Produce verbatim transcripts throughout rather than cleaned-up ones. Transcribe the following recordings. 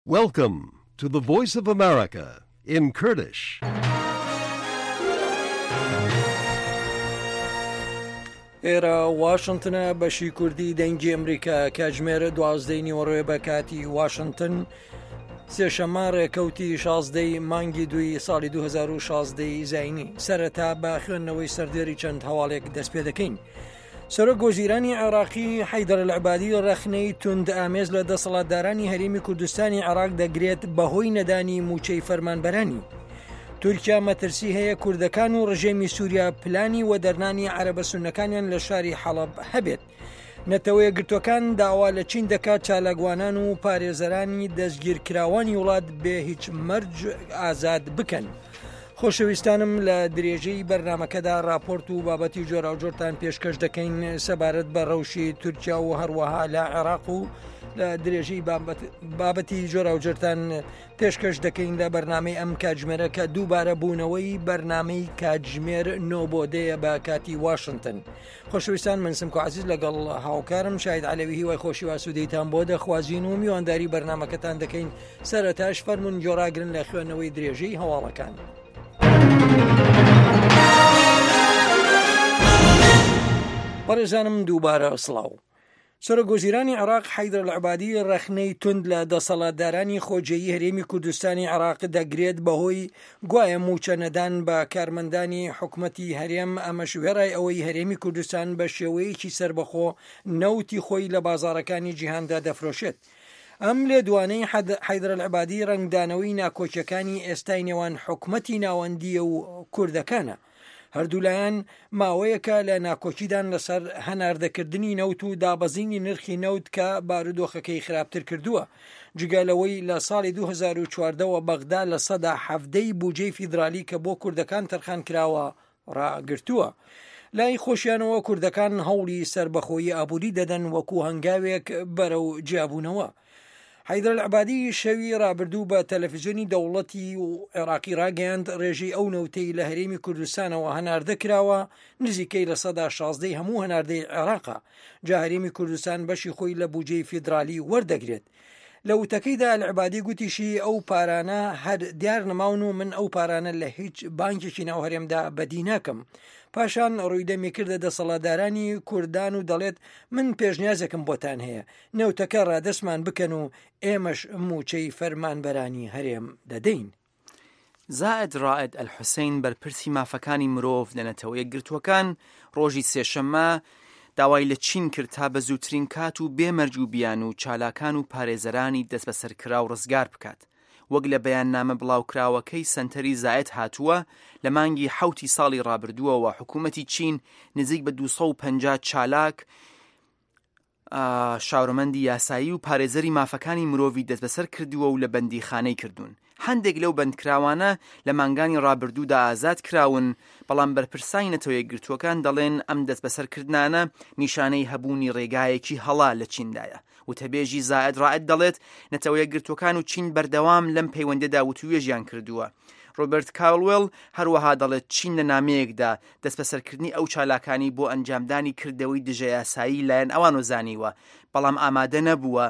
Welcome to the Voice of America in Kurdish. ئێرە واشنگتنە، بەشی کوردی دەنگی ئەمریکا، کاتژمێر دوازدەی نیوەڕۆێ بە کاتی واشنگتن، سێشەممە ڕێکەوتی شازدەی مانگی دوی ساڵی دوو هەزار و شازدە زینی. سەرەتا بە خوێندنەوەی سەردێری چەند هەواڵێک دەست پێ دەکەین. سەرۆک وەزیرانی عێراقی حەیدەر العبادی ڕەخنەی توند ئامێز لە دەسەڵاتدارانی هەرێمی کوردستانی عێراق دەگرێت بەهۆی نەدانی موچەی فەرمانبەرانی. تورکیا مەترسی هەیە کوردەکان و ڕژێمی سووریا پلانی وەدەرنانی عەرەبە سوننەکانیان لە شاری حەڵەب هەبێت. نەتەوە یەکگرتووەکان داوا لە چین دەکات چالاکوانان و پارێزەرانی دەستگیرکراوانی وڵات بێ هیچ مەرج ئازاد بکەن. خۆشەویستانم، لە درێژەی بەرنمەکەدا راپۆرت و بابەتی جۆراوجۆرتان پێشکەش دەکەین سەبارەت بە ڕەوشی تورکیا و هەروەها لە عێراق و لە درێژەی بابەتی جۆراوجۆرتان پێشکەش دەکەین لە بەرنامەی ئەم کاتژمێرە کە دووبارە بوونەوەی بەرنامەی کاتژمێر نۆ بۆ دەیە بە کاتی واشنگتن. خۆشەویستان، من سمکۆ عەزیز لەگەڵ هاوکارم شاهید عەلەوی هیوای خۆشی و ئاسوودەیتان بۆ دەخوازین و میوانداری بەرنامەکەتان دەکەین. سەرەتاش فەرمونون گۆڕاگرن لە خوێندنەوەی درێژەی هەواڵەکان. بەڕێزانم دووبارە سڵاو. سەرۆک وەزیرانی عێراق حەیدەر العبادی ڕەخنەی توند لە دەسەڵاتدارانی خۆجێیی هەرێمی کوردستانی عێراق دەگرێت بەهۆی گوایە موچە نەدان بە کارمەندانی حکومەتی هەرێم، ئەمەش وێڕای ئەوەی هەرێمی کوردستان بە شێوەیەکی سەربەخۆ نەوتی خۆی لە بازاڕەکانی جیهاندا دەفرۆشێت. ئەم لێدوانەی حەیدەر العبادی ڕەنگدانەوەی ناکۆکیەکانی ئێستای نێوان حکومەتی ناوەندیە و کوردەکانە. هەردوولایەن ماوەیەکە لە ناکۆکیدان لەسەر هەناردەکردنی نەوت و دابەزینی نرخی نەوت کە بارودۆخەکەی خراپتر کردووە. جگە لەوەی لە ساڵی دوو هەزار و چواردەوە بەغدا لە سەدا حەفدەی بودجەی فیدرالی کە بۆ کوردەکان تەرخان کراوە ڕاگرتووە. لای خۆشیانەوە کوردەکان هەوڵی سەربەخۆیی ئابووری دەدەن وەکو هەنگاوێک بەرەو جیابوونەوە. حەیدەر العبادی شەوی ڕابردوو بە تەلەفزیۆنی دەوڵەتی و عێراقی ڕاگەیاند ڕێژەی ئەو نەوتەی لە هەرێمی کوردستانەوە هەناردە کراوە نزیکەی لە سەدا شازدەی هەموو هەناردەی عێراقە. جا هەرێمی کوردستان بەشی خۆی لە بودجەی فیدرالی وەردەگرێت. لە وتەکەیدا العبادی گوتیشی ئەو پارانە هەر دیار نەماون و من ئەو پارانە لە هیچ بانکێکی ناو هەرێمدا بەدی ناکەم. پاشان ڕووی دەمی کردە دەسەڵاتدارانی کوردان و دەڵێت من پێشنیازێکم بۆتان هەیە، نەوتەکە ڕادەستمان بکەن و ئێمەش موچەی فەرمانبەرانی هەرێم دەدەین. زائد رائد الحوسین بەرپرسی مافەکانی مرۆڤ لە نەتەوە یەکگرتووەکان ڕۆژی سێشەممە داوای لە چین کرد تا بە زووترین کات و بێمەرج و بیان و چالاکان و پارێزەرانی دەستبەسەرکراو ڕزگار بکات. وەک لە بەیاننامە بڵاوکراوەکەی سەنتەری زائد هاتووە، لە مانگی حەوتی ساڵی ڕابردووەوە حکوومەتی چین نزیک بە دوو سەد و پەنجا چالاک، شارۆمەندی یاسایی و پارێزەری مافەکانی مرۆڤی دەستبەسەر کردووە و لە بەندیخانەی کردوون. هەندێک لەو بەندکراوانە لە مانگانی ڕابردوودا ئازاد کراون، بەڵام بەرپرسانی نەتەوە یەکگرتووەکان دەڵێن ئەم دەستبەسەرکردنانە نیشانەی هەبوونی ڕێگایەکی هەڵا لە چیندایە. وتەبێژی زائد رائد دەڵێت نەتەوە یەکگرتووەکان و چین بەردەوام لەم پەیوەندیدا وتوێژیان کردووە. ڕۆبەرت کاولوێل هەروەها دەڵێت چین لە نامەیەکدا دەستبەسەرکردنی ئەو چالاکانی بۆ ئەنجامدانی کردەوەی دژەیاسایی لایەن ئەوانەوە زانیوە، بەڵام ئامادە نەبووە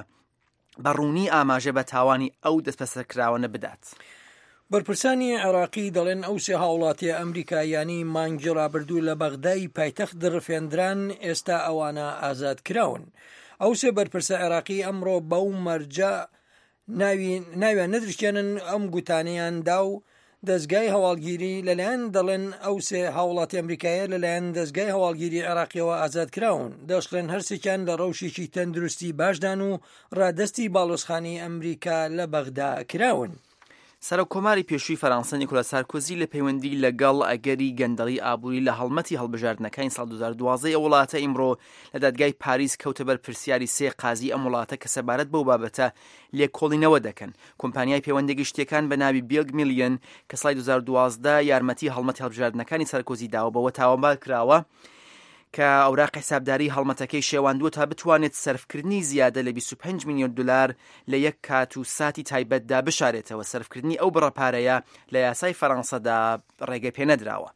بە ڕوونی ئاماژە بە تاوانی ئەو دەستبەسەرکراوانە بدات. بەرپرسانی عێراقی دەڵێن ئەو سێ هاوڵاتیە ئەمریکاییانەی مانگی ڕابردوو لە بەغدای پایتەخت دڕفێندران ئێستا ئەوانە ئازاد کراون. ئەو سێ بەرپرسە عێراقی ئەمڕۆ بەو مەرجە ناویان نەدرشێنن ئەم گوتانەیان دا و دەستگای هەواڵگیری لەلایەن دەڵێن ئەو سێ هاوڵاتی ئەمریکایە لەلایەن دەستگای هەواڵگیری عێراقیەوە ئازاد کراون. دەشڵێن هەرسێکیان لە ڕەوشێکی تەندروستی باشدان و ڕادەستی باڵۆزخانەی ئەمریکا لە بەغدا کراون. سەرۆک کۆماری پێشووی فەرەنسا نیکۆلا سارکۆزی لە پەیوەندی لەگەڵ ئەگەری گەندەڵی ئابووری لە هەڵمەتی هەڵبژاردنەکانی ساڵ دوو هەزار و دوازدە ئەو وڵاتە ئیمڕۆ لە دادگای پاریس کەوتە بەر پرسیاری سێ قازی ئەم وڵاتە کە سەبارەت بەو بابەتە لێکۆڵینەوە دەکەن. کۆمپانیای پەیوەندی گشتیەکان بە ناوی بیلگ میلیۆن کە ساڵی دوو هەزار و دوازدە یارمەتی هەڵمەتی هەڵبژاردنەکانی سارکۆزی داوە بەوە تاوانبار کراوە کە ئەوراق حسابداری هەڵمەتەکەی شێواندووە تا بتوانێت سەرفکردنی زیادە لە بیست و پێنج میلیۆن دلار لە یەک کات و ساتی تایبەتدا بشارێتەوە. سەرفکردنی ئەو بڕە پارەیە لە یاسای فەرەنسەدا ڕێگە پێ نەدراوە.